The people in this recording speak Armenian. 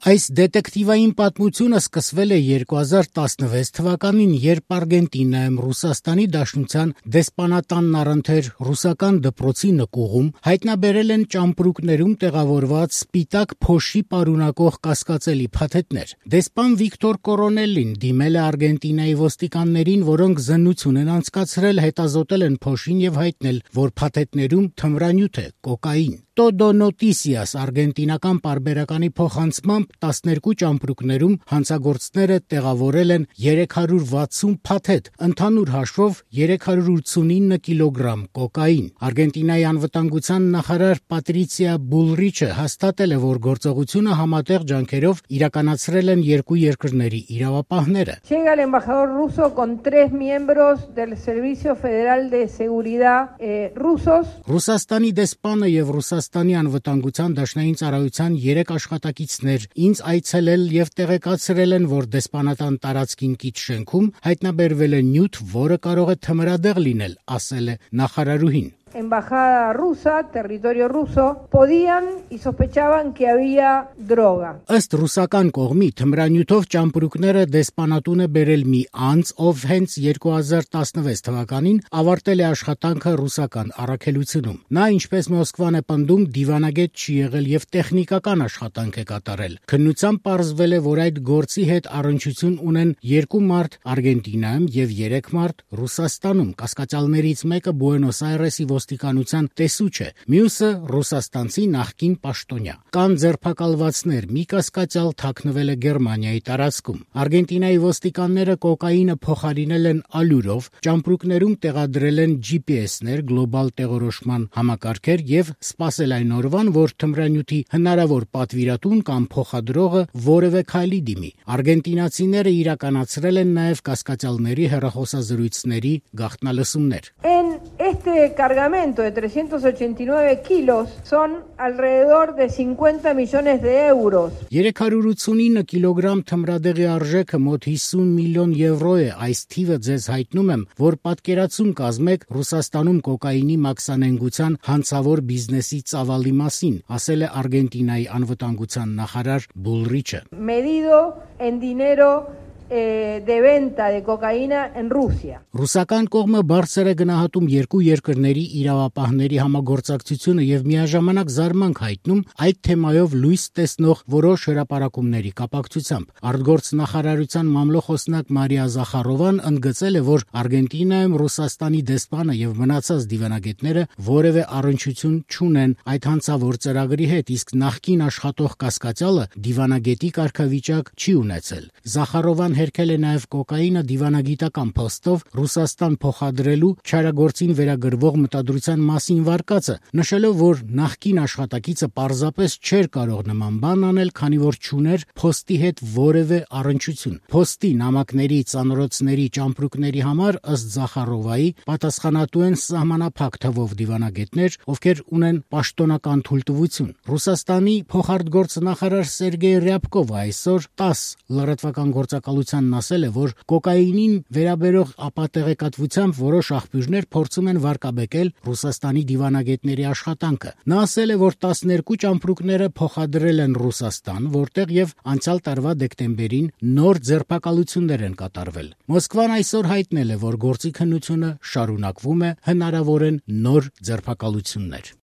Այս դետեկտիվային պատմությունը սկսվել է 2016 թվականին, երբ Արգենտինայում Ռուսաստանի Դաշնության դեսպանատանն առընթեր ռուսական դպրոցի նկուղում հայտնաբերել են ճամպրուկներում տեղավորված սպիտակ փոշի պարունակող կասկածելի փաթեթներ։ Դեսպան Վիկտոր Կորոնելին դիմել է Արգենտինայի ոստիկաններին, որոնք զննություն են անցկացրել, հետազոտել են փոշին եւ հայտնել, որ փաթեթներում թմրանյութ է կոկային։ Todo Noticias արգենտինական պարբերականի փոխանցմամբ 12 ճամպրուկներում հանցագործները տեղավորել են 360 փաթեթ, ընդհանուր հաշվով 389 կիլոգրամ կոկային։ Արգենտինայի անվտանգության նախարար Պատրիցիա Բուլրիչը հաստատել է, որ գործողությունը համատեղ ջանքերով իրականացրել են երկու երկրների իրավապահները։ Llega el embajador ruso con 3 miembros del Servicio Federal de Seguridad rusos. Ռուսաստանի դեսպանը եւ Ռուսաստանի անվտանգության դաշնային ծառայության 3 աշխատակիցներ ինձ այցելել եւ տեղեկացրել են, որ դեսպանատան տարածքին կից շենքում հայտնաբերվել է նյութ, որը կարող է թմրադեղ լինել, ասել է նախարարուհին։ Embajada rusa, territorio ruso, podían y sospechaban que había droga. Ըստ ռուսական կողմի թմրանյութով ճամպրուկները դեսպանատուն է բերել մի անձ, ով հենց 2016 թվականին ավարտել է աշխատանքը ռուսական առաքելությունում։ Նա, ինչպես Մոսկվան է պնդում, դիվանագետ չի եղել եւ տեխնիկական աշխատանք է կատարել։ Քննությամբ պարզվել է, որ այդ գործի հետ առնչություն ունեն 2 մարդ Արգենտինայում եւ 3 մարդ Ռուսաստանում։ Կասկածյալներից մեկը Բուենոս Այրեսի ոստիկանության տեսուչ է, մյուսը ռուսաստանցի նախկին պաշտոնյա։ Կան ձերբակալվածներ, մի կասկածյալ թաքնվել է Գերմանիայի տարածքում։ Արգենտինայի ոստիկանները կոկայինը փոխարինել են ալյուրով, ճամպրուկներում տեղադրել են GPS-ներ, գլոբալ տեղորոշման համակարգեր եւ սպասել այն օրվան, որ թմրանյութի հնարավոր պատվիրատուն կամ փոխադրողը որևէ քայլի դիմի։ Արգենտինացիները իրականացրել են նաեւ կասկածյալների հեռախոսազրույցների գաղտնալսումներ։ Este cargamento de 389 kilos son alrededor de 50 millones de euros. 389 կիլոգրամ թմրադեղի արժեքը մոտ 50 միլիոն եվրո է։ Այս թիվը ձեզ հայտնում եմ, որ պատկերացում կազմեք Ռուսաստանում կոկայինի մաքսանենգության հանցավոր բիզնեսի ծավալի մասին, ասել է Արգենտինայի անվտանգության նախարար Բուլրիչը։ Medido en dinero de venta de cocaína en Rusia. Ռուսական կողմը բարձր է գնահատում երկու երկրների իրավապահների համագործակցությունը եւ միաժամանակ զարմանք հայտնում այդ թեմայով լույս տեսնող որոշ հրապարակումների կապակցությամբ։ Արտգործ նախարարության մամլոխոսնակ Մարիա Զախարովան ընդգծել է, որ Արգենտինայում Ռուսաստանի դեսպանը եւ մնացած դիվանագետները որևէ առնչություն չունեն այդ հանցավոր ծրագրի հետ, իսկ նախկին աշխատող կասկածյալը դիվանագետի կարգավիճակ չի ունեցել։ Զախարովան հերքել է նաև կոկայինը դիվանագիտական փոստով Ռուսաստան փոխադրելու չարագործին վերագրվող մտադրության մասին վարկածը, նշելով, որ նախկին աշխատակիցը պարզապես չէր կարող նման բան անել, քանի որ չուներ փոստի հետ որևէ առնչություն։ Փոստի նամակների, ծանրոցների, ճամպրուկների համար ըստ Զախարովայի պատասխանատու են սահմանափակ թվով դիվանագետներ, ովքեր ունեն պաշտոնական թույլտվություն։ Ռուսաստանի փոխարտգործ նախարար Սերգեյ Ռյաբկովը այսօր 10 լրատվական գործակալությանն ասել է, որ կոկայինին վերաբերող ապատեղեկատվությամբ որոշ աղբյուրներ փորձում են վարկաբեկել Ռուսաստանի դիվանագետների աշխատանքը։ Նա ասել է, որ 12 ճամպրուկները փոխադրել են Ռուսաստան, որտեղ եւ անցյալ տարվա դեկտեմբերին նոր ձերբակալություններ են կատարվել։ Մոսկվան այսօր հայտնել է, որ գործի քննությունը շարունակվում է, հնարավոր են նոր ձերբակալություններ։